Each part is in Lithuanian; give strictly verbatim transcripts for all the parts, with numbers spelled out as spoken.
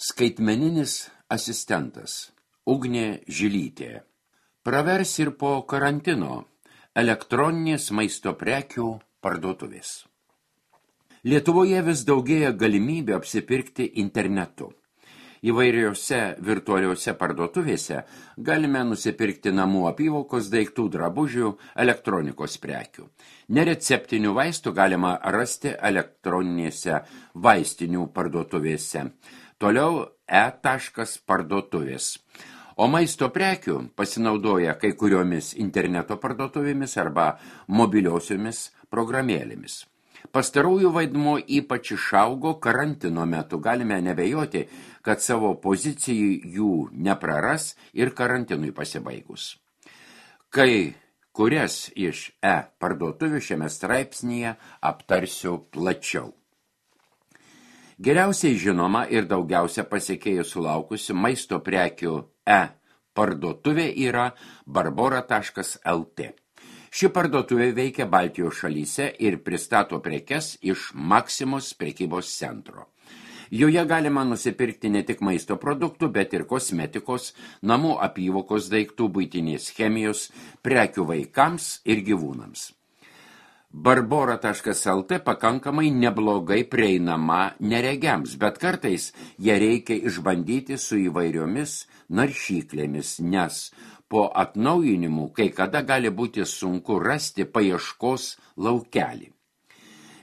Skaitmeninis asistentas Ugnė Žilytė. Pravers ir po karantino elektroninės maisto prekių parduotuvės. Lietuvoje vis daugėja galimybė apsipirkti internetu. Įvairiose virtualiuose parduotuvėse galime nusipirkti namų apyvokos daiktų, drabužių, elektronikos prekių. Nereceptinių vaistų galima rasti elektroninėse vaistinių parduotuvėse. Toliau e-parduotuvės. O maisto prekių pasinaudoja kai kuriomis interneto parduotuvėmis arba mobiliosiomis programėlėmis. Pastarųjų vaidmuo ypač išaugo karantino metu. Galime nebejoti, kad savo pozicijų jų nepraras ir karantinui pasibaigus. Kai kurias iš e-parduotuvių šiame straipsnyje aptarsiu plačiau. Geriausiai žinoma ir daugiausia pasekėjų sulaukusi maisto prekių e-parduotuvė yra barbora taškas lt. Ši parduotuvė veikia Baltijos šalyse ir pristato prekes iš Maksimos prekybos centro. Joje galima nusipirkti ne tik maisto produktų, bet ir kosmetikos, namų apyvokos daiktų, buitinės chemijos, prekių vaikams ir gyvūnams. barbora taškas lt pakankamai neblogai prieinama neregiams, bet kartais ją reikia išbandyti su įvairiomis naršyklėmis, nes po atnaujinimų kai kada gali būti sunku rasti paieškos laukelį.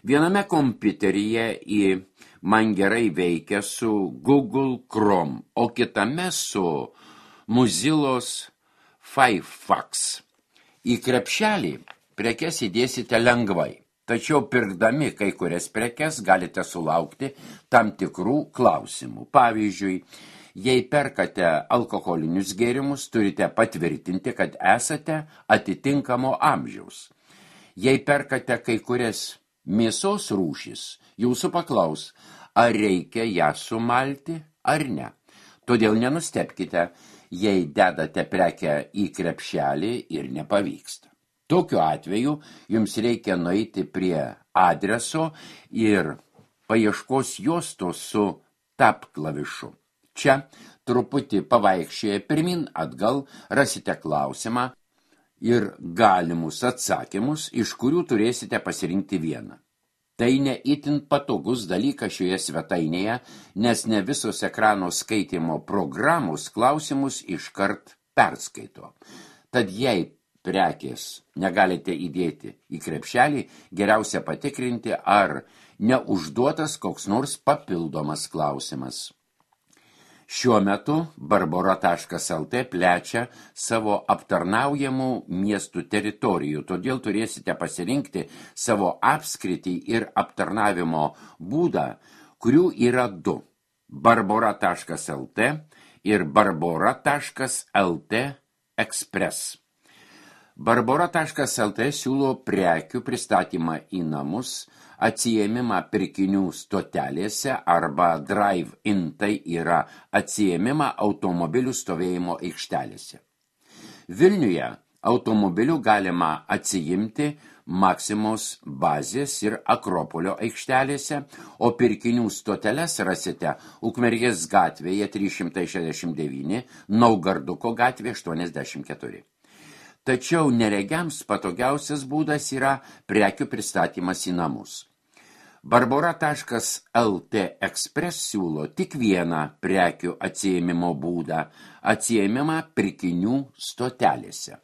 Viename kompiuteryje į man gerai veikia su Google Chrome, o kitame su Mozillos Firefox. Į krepšelį prekes įdėsite lengvai, tačiau pirkdami kai kurias prekes galite sulaukti tam tikrų klausimų. Pavyzdžiui, jei perkate alkoholinius gėrimus, turite patvirtinti, kad esate atitinkamo amžiaus. Jei perkate kai kurias mėsos rūšis, jūsų paklaus, ar reikia ją sumalti ar ne. Todėl nenustebkite, jei dedate prekę į krepšelį ir nepavyksta. Tokiu atveju jums reikia nueiti prie adreso ir paieškos juostos su tab klavišu. Čia truputį pavaikščioje pirmin atgal rasite klausimą ir galimus atsakymus, iš kurių turėsite pasirinkti vieną. Tai ne itin patogus dalykas šioje svetainėje, nes ne visos ekrano skaitimo programos klausimus iškart perskaito. Tad jei prekės negalite įdėti į krepšelį, geriausia patikrinti, ar neužduotas koks nors papildomas klausimas. Šiuo metu barbora taškas lt plečia savo aptarnaujamų miestų teritorijų, todėl turėsite pasirinkti savo apskritį ir aptarnavimo būdą, kurių yra du – barbora taškas lt ir barbora taškas lt Express. barbora taškas lt siūlo prekių pristatymą į namus, atsiėmimą pirkinių stotelėse arba drive-in, tai yra atsiėmimą automobilių stovėjimo aikštelėse. Vilniuje automobilių galima atsiimti Maksimos bazės ir Akropolio aikštelėse, o pirkinių stoteles rasite Ukmergės gatvėje trys šimtai šešiasdešimt devyni, Naugarduko gatvė aštuoniasdešimt keturi. Tačiau neregiams patogiausias būdas yra prekių pristatymas į namus. barbora taškas lt Express siūlo tik vieną prekių atsiėmimo būdą – atsiėmimą pirkinių stotelėse.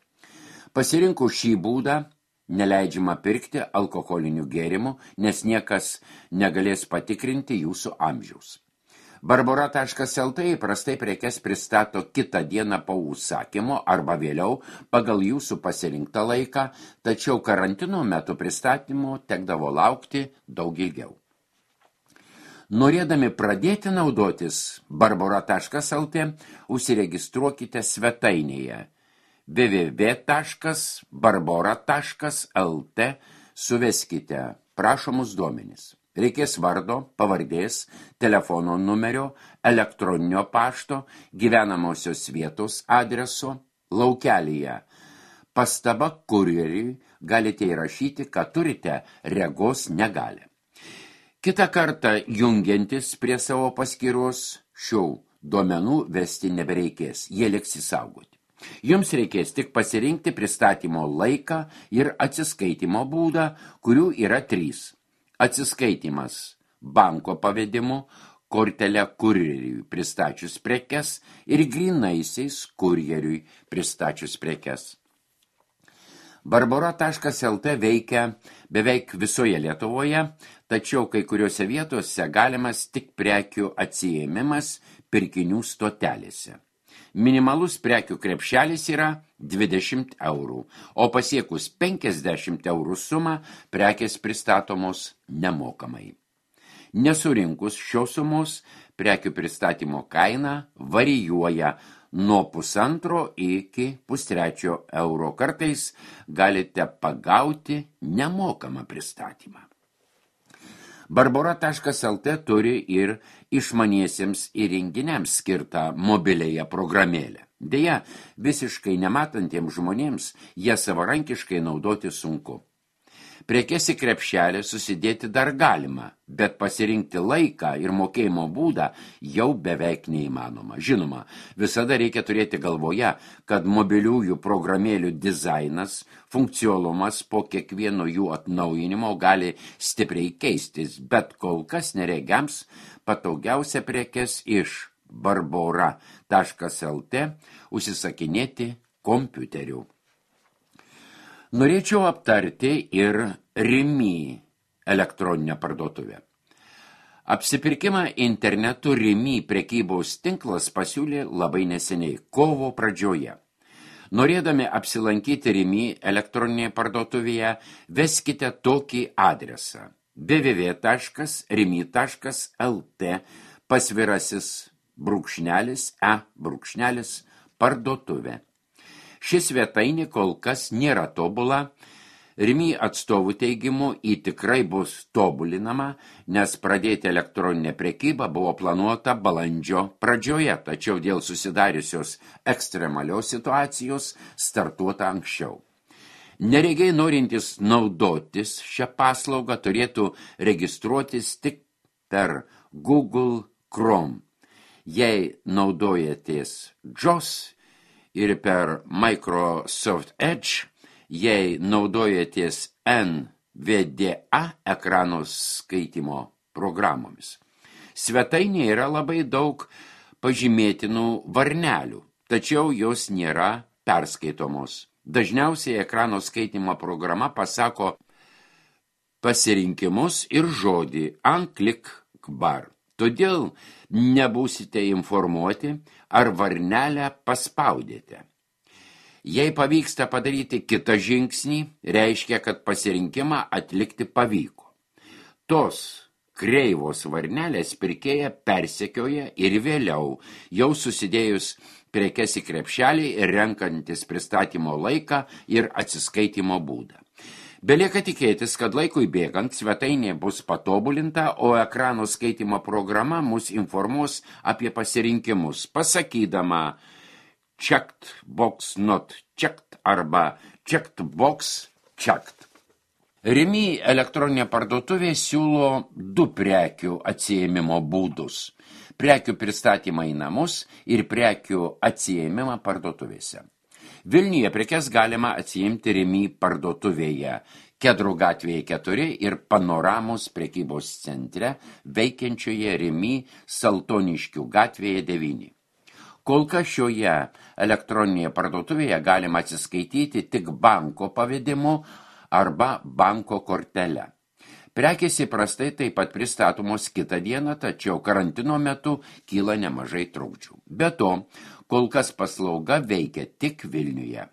Pasirinkus šį būdą neleidžiama pirkti alkoholinių gėrimų, nes niekas negalės patikrinti jūsų amžiaus. barbora taškas lt įprastai prekes pristato kitą dieną po užsakymo arba vėliau pagal jūsų pasirinktą laiką, tačiau karantino metu pristatymo tekdavo laukti daug ilgiau. Norėdami pradėti naudotis barbora taškas lt, užsiregistruokite svetainėje w w w taškas barbora taškas lt, suveskite prašomus duomenis. Reikės vardo, pavardės, telefono numerio, elektroninio pašto, gyvenamosios vietos adreso, laukelyje. Pastaba kurjeriui galite įrašyti, kad turite regos negalią. Kitą kartą jungiantis prie savo paskyros šių duomenų vesti nebereikės, jie liks įsaugoti. Jums reikės tik pasirinkti pristatymo laiką ir atsiskaitimo būdą, kurių yra trys. Atsiskaitimas banko pavedimu, kortelę kurjeriui pristačius prekes ir grynaisiais kurjeriui pristačius prekes. Barbora taškas el tė veikia beveik visoje Lietuvoje, tačiau kai kuriuose vietose galimas tik prekių atsiėmimas pirkinių stotelėse. Minimalus prekių krepšelis yra dvidešimt eurų, o pasiekus penkiasdešimt eurų sumą prekės pristatomos nemokamai. Nesurinkus šios sumos, prekių pristatymo kaina varijuoja nuo pusantro iki pustrečio euro. Kartais galite pagauti nemokamą pristatymą. Barbora taškas el tė turi ir išmaniesiems įrenginiams skirtą mobiliąją programėlę. Deja, visiškai nematantiems žmonėms ją savarankiškai naudoti sunku. Prekes į krepšelį susidėti dar galima, bet pasirinkti laiką ir mokėjimo būdą jau beveik neįmanoma. Žinoma, visada reikia turėti galvoje, kad mobiliųjų programėlių dizainas, funkcionalumas po kiekvieno jų atnaujinimo gali stipriai keistis, bet kol kas neregiams patogiausia prekes iš barbora taškas el tė užsisakinėti kompiuteriu. Norėčiau aptarti ir Rimi elektroninę parduotuvę. Apsipirkimą internetu Rimi prekybos tinklas pasiūlė labai neseniai, kovo pradžioje. Norėdami apsilankyti Rimi elektroninėje parduotuvėje, veskite tokį adresą w w w taškas rimi taškas el tė pasvirasis brūkšnelis e brūkšnelis parduotuvė. Šis svetainė kol kas nėra tobula, Rimi atstovų teigimu į tikrai bus tobulinama, nes pradėti elektroninę prekybą buvo planuota balandžio pradžioje, tačiau dėl susidariusios ekstremalios situacijos startuota anksčiau. Neregiai norintys naudotis šią paslaugą turėtų registruotis tik per Google Chrome. Jei naudojatės džos ir per Microsoft Edge, jei naudojatės en vė dė a ekrano skaitimo programomis. Svetainėje yra labai daug pažymėtinų varnelių, tačiau jos nėra perskaitomos. Dažniausiai ekrano skaitimo programa pasako pasirinkimus ir žodį unclick bar. Todėl nebūsite informuoti, ar varnelę paspaudėte. Jei pavyksta padaryti kitą žingsnį, reiškia, kad pasirinkimą atlikti pavyko. Tos kreivos varnelės pirkėja persekioja ir vėliau, jau susidėjus prekes į krepšelį ir renkantis pristatymo laiką ir atsiskaitimo būdą. Belieka tikėtis, kad laikui bėgant svetainė bus patobulinta, o ekrano skaitimo programa mus informuos apie pasirinkimus, pasakydama checked box not checked arba checked box checked. Rimi elektroninė parduotuvė siūlo du prekių atsiėmimo būdus – prekių pristatymą į namus ir prekių atsiėmimą parduotuvėse. Vilniuje prekes galima atsiimti Rimi parduotuvėje, Kedrų gatvėje keturi ir Panoramos prekybos centre veikiančioje Rimi Saltoniškių gatvėje devyni. Kol kas šioje elektroninėje parduotuvėje galima atsiskaityti tik banko pavedimu arba banko kortele. Prekės įprastai taip pat pristatomos kitą dieną, tačiau karantino metu kyla nemažai trukdžių. Be to, kol kas paslauga veikia tik Vilniuje.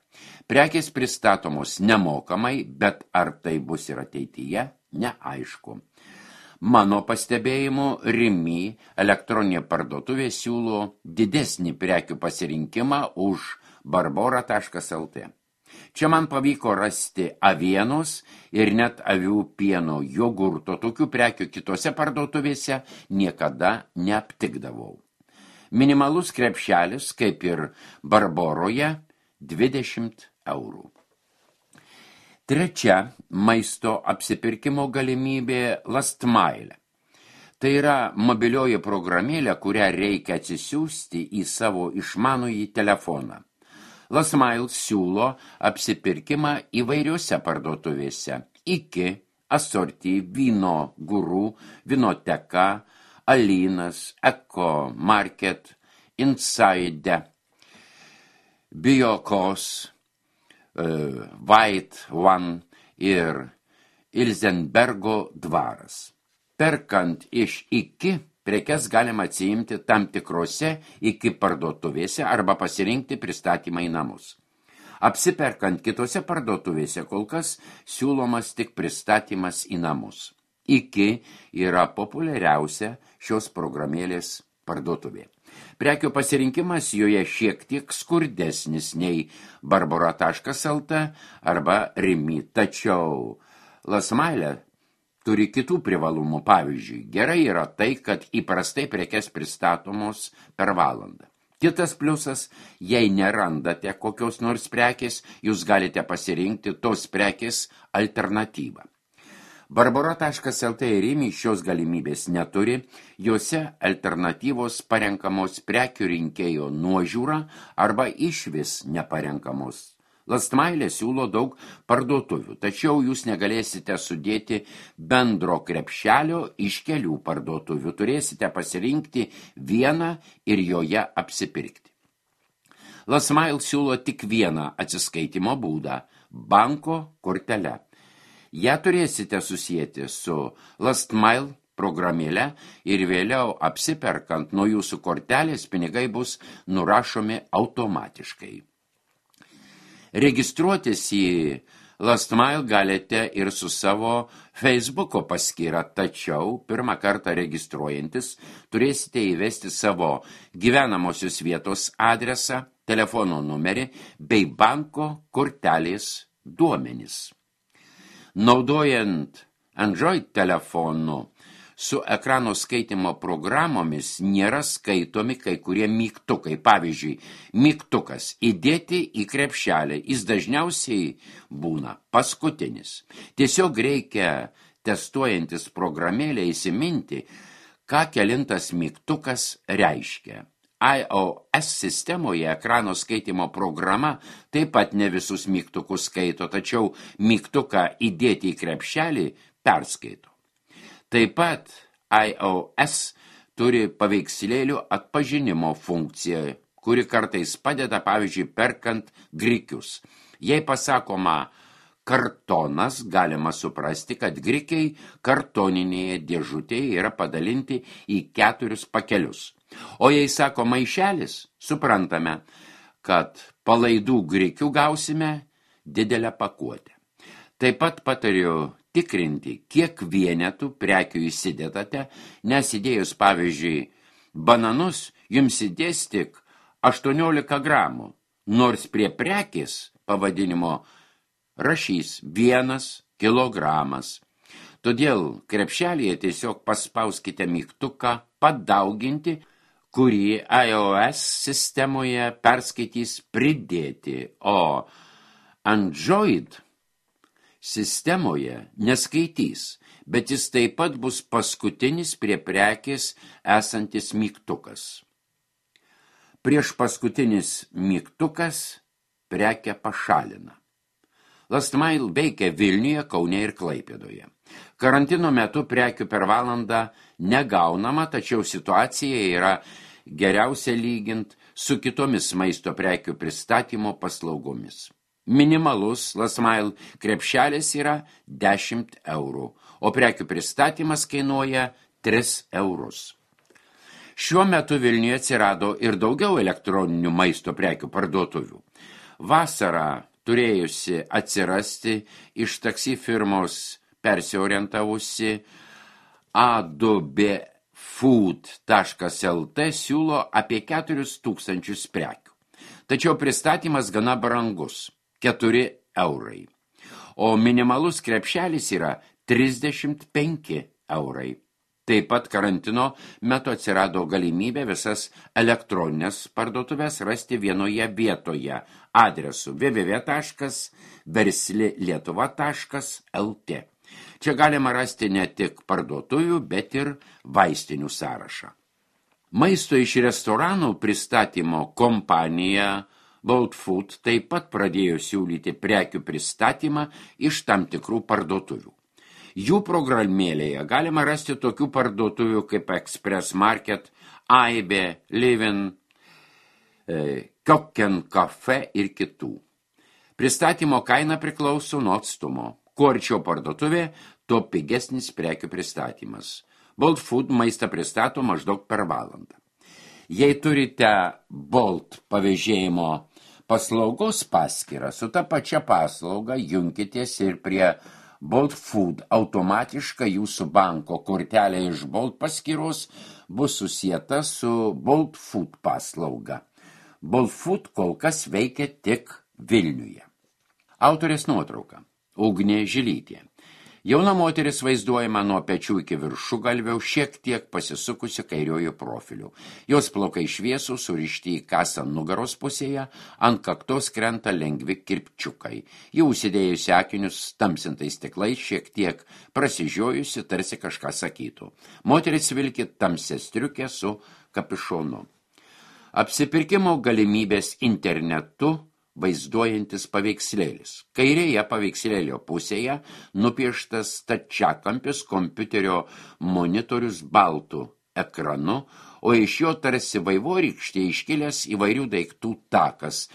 Prekės pristatomos nemokamai, bet ar tai bus ir ateityje, neaišku. Mano pastebėjimu, Rimi elektroninė parduotuvė siūlo didesnį prekių pasirinkimą už barbora taškas el tė. Čia man pavyko rasti avienos ir net avių pieno jogurto, tokių prekių kitose parduotuvėse niekada neaptikdavau. Minimalus krepšelis, kaip ir Barboroje, dvidešimt eurų. Trečia maisto apsipirkimo galimybė Last Mile. Tai yra mobilioji programėlė, kurią reikia atsisiųsti į savo išmanųjį telefoną. Lasmail siūlo apsipirkimą įvairiuose parduotuvėse. Iki, Asorti, Vyno Guru, Vinoteka, Alinas, Eko Market, Inside, Biokos, uh, White One ir Ilzenbergo dvaras. Perkant iš iki, prekes galima atsiimti tam tikrose iki parduotuvėse arba pasirinkti pristatymą į namus. Apsiperkant kitose parduotuvėse kol kas siūlomas tik pristatymas į namus. Iki yra populiariausia šios programėlės parduotuvė. Prekių pasirinkimas joje šiek tiek skurdesnis nei barbora taškas lt arba Rimi, tačiau Lasmailė turi kitų privalumų. Pavyzdžiui, gerai yra tai, kad įprastai prekes pristatomos per valandą. Kitas pliusas, jei nerandate kokios nors prekės, jūs galite pasirinkti tos prekės alternatyvą. barbora taškas lt ir Rimi šios galimybės neturi, juose alternatyvos parenkamos prekių rinkėjo nuožiūra arba išvis neparenkamos. Lasmailė siūlo daug parduotuvių, tačiau jūs negalėsite sudėti bendro krepšelio iš kelių parduotuvių, turėsite pasirinkti vieną ir joje apsipirkti. Lasmail siūlo tik vieną atsiskaitimo būdą – banko kortelę. Ja turėsite susijęti su Lasmail programėle ir vėliau apsiperkant nuo jūsų kortelės pinigai bus nurašomi automatiškai. Registruotis į Lasmail galite ir su savo Facebooko paskyra, tačiau pirmą kartą registruojantis turėsite įvesti savo gyvenamosios vietos adresą, telefono numerį bei banko kortelės duomenis. Naudojant Android telefonu su ekrano skaitimo programomis nėra skaitomi kai kurie mygtukai. Pavyzdžiui, mygtukas įdėti į krepšelį, jis dažniausiai būna paskutinis. Tiesiog reikia testuojantis programėlę įsiminti, ką kelintas mygtukas reiškia. iOS sistemoje ekrano skaitimo programa taip pat ne visus mygtukus skaito, tačiau mygtuką įdėti į krepšelį perskaito. Taip pat iOS turi paveikslėlių atpažinimo funkciją, kuri kartais padeda, pavyzdžiui, perkant grikius. Jei pasakoma kartonas, galima suprasti, kad grikiai kartoninėje dėžutėje yra padalinti į keturius pakelius. O jei sako maišelis, suprantame, kad palaidų grikių gausime didelę pakuotę. Taip pat patariu tikrinti, kiek vienetų prekių įsidedate, nes įdėjus, pavyzdžiui, bananus, jums įdės tik aštuoniolika gramų, nors prie prekės pavadinimo rašys vienas kilogramas. Todėl krepšelėje tiesiog paspauskite mygtuką padauginti, kurį iOS sistemoje perskaitys pridėti, o Android sistemoje neskaitys, bet jis taip pat bus paskutinis prie prekės esantis mygtukas. Prieš paskutinis mygtukas prekę pašalina. Lasmail veikia Vilniuje, Kaune ir Klaipėdoje. Karantino metu prekių per valandą negaunama, tačiau situacija yra geriausia lygint su kitomis maisto prekių pristatymo paslaugomis. Minimalus Lasmail krepšelis yra dešimt eurų, o prekių pristatymas kainuoja tris eurus. Šiuo metu Vilniuje atsirado ir daugiau elektroninių maisto prekių parduotuvių. Vasarą turėjusi atsirasti iš taksi firmos persiorientavusi A du B food taškas lt siūlo apie keturis tūkstančius prekių. Tačiau pristatymas gana brangus – keturi eurai. O minimalus krepšelis yra trisdešimt penki eurai. Taip pat karantino metu atsirado galimybė visas elektroninės parduotuvės rasti vienoje vietoje adresu w w w taškas versli lietuva taškas lt. Čia galima rasti ne tik parduotuvių, bet ir vaistinių sąrašą. Maisto iš restoranų pristatymo kompanija Bolt Food taip pat pradėjo siūlyti prekių pristatymą iš tam tikrų parduotuvių. Jų programėlėje galima rasti tokių parduotuvių kaip Express Market, Aibe, Livin, Kokken Cafe ir kitų. Pristatymo kaina priklauso nuo atstumo. Kuo arčiau parduotuvė, tuo pigesnis prekių pristatymas. Bolt Food maistą pristato maždaug per valandą. Jei turite Bolt pavėžėjimo paslaugos paskyrą, su ta pačia paslauga junkitės ir prie Bolt Food automatiškai jūsų banko kortelė iš Bolt paskyros bus susieta su Bolt Food paslauga. Bolt Food kol kas veikia tik Vilniuje. Autorės nuotrauka. Ugnė Žilytė. Jauna moteris vaizduojama nuo pečių iki viršugalvio, šiek tiek pasisukusi kairiojo profiliu. Jos plaukai šviesūs, surišti į kasą nugaros pusėje, ant kaktos krenta lengvi kirpčiukai. Ji užsidėjusi akinius tamsintais stiklais, šiek tiek prasižiojusi, tarsi kažką sakytų. Moteris vilki tamsią striukę su kapišonu. Apsipirkimo galimybės internetu vaizduojantis paveikslėlis. Kairėje paveikslėlio pusėje nupieštas stačiakampis kompiuterio monitorius baltu ekranu, o iš jo tarsi vaivorykštė iškilęs įvairių daiktų takas,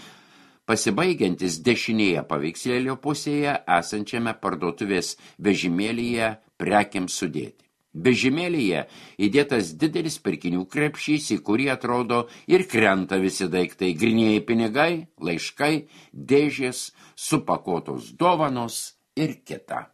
pasibaigiantis dešinėje paveikslėlio pusėje esančiame parduotuvės vežimėlyje prekiams sudėti. Vežimėlyje įdėtas didelis pirkinių krepšys, į kurį atrodo ir krenta visi daiktai, grynieji pinigai, laiškai, dėžės, supakuotos dovanos ir kita.